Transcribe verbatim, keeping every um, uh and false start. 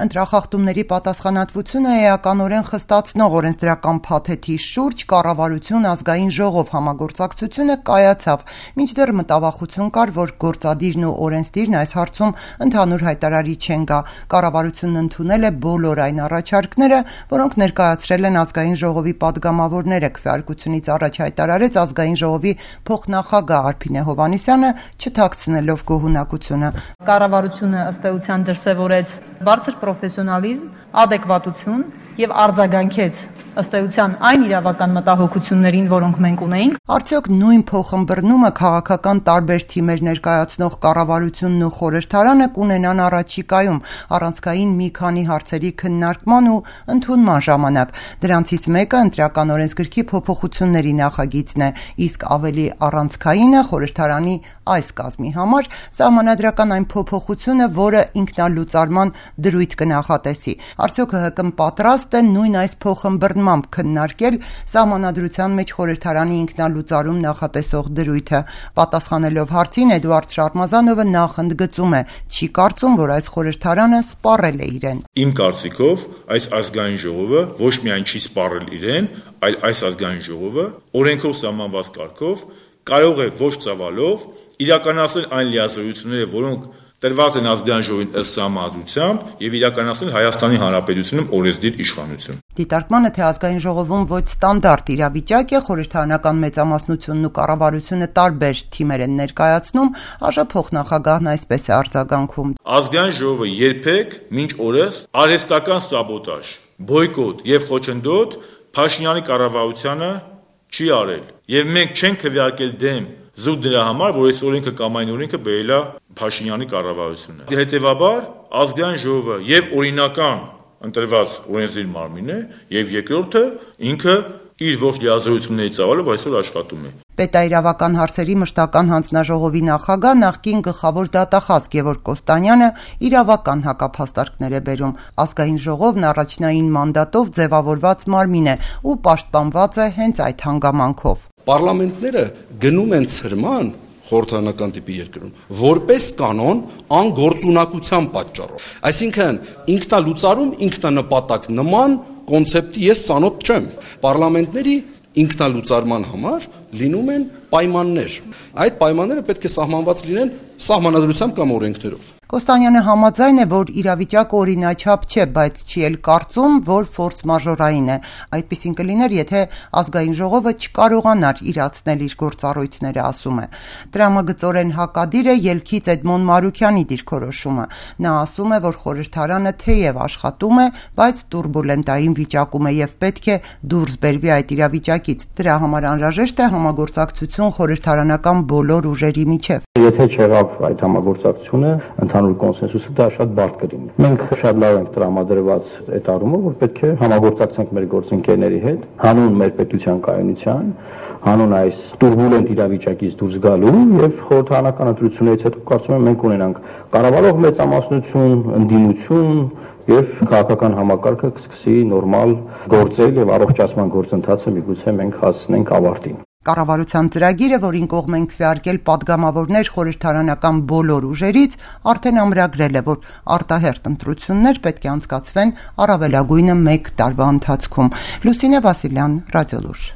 Ընտրախախտումների պատասխանատվությունը էականորեն խստացնող օրենսդրական փաթեթի շուրջ կառավարություն ազգային ժողով համագործակցությունը կայացավ, մինչդեռ մտավախություն կար, որ գործադիրն ու օրենսդիրն այս հարցում ընդհանուր հայտարարի չեն գա։ Կառավարությունն ընդունել է բոլոր այն առաջարկները, որոնք ներկայացրել են ազգային ժողովի падգամավորները, քվեարկությունից առաջ հայտարարեց ազգային ժողովի փոխնախագահ Արփինե Հովհաննիսյանը, չթաքցնելով գոհունակությունը։ Կառավարությունը ըստ էության դրսևորեց բարձր պրոֆեսիոնալիզմ, ադեկվատություն եւ արձագանքեց ըստ էության այն իրավական մտահոգություններին, որոնք մենք ունեինք։ Արդյոք նույն փոխըմբռնումը քաղաքական տարբեր թիմեր ներկայացնող կառավարությունն ու խորհրդարանը կունենան առաջիկայում առանցքային մի քանի հարցերի քննարկման ու ընդունման ժամանակ։ Դրանցից մեկը ընտրական օրենսգրքի փոփոխությունների նախագիծն է, իսկ ավելի առանցքայինը խորհրդարանի այս կազմի համար սահմանադրական այն փոփոխությունը, որը ինքնալուծարման դրույթ կնախատեսի։ Արդյոք ՀՀԿ-ն պատրաստ է նույն այս փոխըմբռնմամբ քննարկել սահմանադրության մեջ խորհրդարանի ինքնալուծարում նախատեսող դրույթը։ Պատասխանելով հարցին Էդուարդ Շարմազանովը նախ ընդգծում է, չի կարծում, որ այս խորհրդարանը սպառել է իրեն։ Իմ կարծիքով այս ազգային ժողովը ոչ միայն չի սպառել իրեն, այլ այս ազգային ժողովը օրենքով սահմանված կարգով կարող է ոչ ծավալով իրականացնել այն լիազորությունները, որոնք տրված են ազգային ժողովին ըստ սահմանադրությամբ եւ իրականացնել Հայաստանի Հանրապետությունում օրենսդիր իշխանություն։ Դիտարկմանը, թե ազգային ժողովում ոչ ստանդարտ իրավիճակ է, խորհրդարանական մեծամասնությունն ու կառավարությունը տարբեր թիմեր են ներկայացնում, ԱԺ փոխնախագահն այսպես է արձագանքում։ Ազգային ժողովը երբեք մինչ օրս արհեստական սաբոտաժ, բոյկոտ եւ խոչընդոտ Փաշինյանի կառավարությանը չի արել։ Եվ մենք չենք քվեարկել դեմ զուտ դրա համար, որ այս օրենքը կամ այն օրենքը բերել է Փաշինյանի կառավարությունը։ Հետևաբար ազգային ժողովը եւ օրինական ընտրված օրենսդիր մարմին է, եւ երկրորդը ինքը իր ողջ լիազորությունների ծավալով այսօր աշխատում է։ Պետաիրավական հարցերի մշտական հանձնաժողովի նախագահ նախկին գլխավոր դատախազ Գևորգ Կոստանյանը իրավական հակափաստարկներ է բերում։ Ազգային ժողովն առաջնային մանդատով ձևավորված մարմին է ու պաշտպանված է հենց այդ հանգամանքով։ Պարլամենտները գնում են ցրման խորհրդարանական տիպի երկրում որպես կանոն անգործունակության պատճառով։ Այսինքն ինքնալուծարում ինքնանպատակ նման կոնցեպտի ես ծանոթ չեմ։ Պարլամենտների ինքնալուծարման համար լինում են պայմաններ։ Այդ պայմանները պետք է սահմանված լինեն սահմանադրությամբ կամ օրենքներով։ Կոստանյանը համաձայն է, որ իրավիճակը օրինաչափ չէ, բայց չի էլ կարծում, որ ֆորս մաժորային է։ Այդպիսին կլիներ, եթե ազգային ժողովը չկարողանար իրացնել իր գործառույթները, ասում է։ Տրամագծորեն հակադիր է ելքից Էդմոն Մարուքյանի դիրքորոշումը։ Նա ասում է, որ խորհրդարանը թեև աշխատում է, բայց տուրբուլենտային վիճակում է եւ պետք է դուրս բերվի այդ իրավիճակից։ Դրա համար անհրաժեշտ է համագործակցություն խորհրդարանական բոլոր ուժերի միջև։ Եթե չեղավ այդ համագործակցությունը, ընդհանուր կոնսենսուսը դա շատ բարդ կլինի։ Մենք շատ լավ ենք տրամադրված այդ առումով, որ պետք է համագործակցենք մեր գործընկերների հետ, հանուն մեր պետության կայունության, հանուն այս տուրբուլենտ իրավիճակից դուրս գալու եւ խորհրդարանական ընտրություններից հետո կարծում եմ մենք ունենանք կառավարող մեծամասնություն, ընդդիմություն եւ քաղաքական համակարգը կսկսի նորմալ գործել եւ առողջացման գործընթացը միգուցե մենք հասցնենք ավարտին։ Կառավարության ծրագիրը, որին կողմ են քվեարկել падգամավորներ խորհրդարանական բոլոր ուժերից, արդեն ամրագրել է, որ արտահերթ ընտրություններ պետք է անցկացվեն առավելագույնը մեկ տարվա ընթացքում։ Լուսինե Վասիլյան, Ռադիոլուր։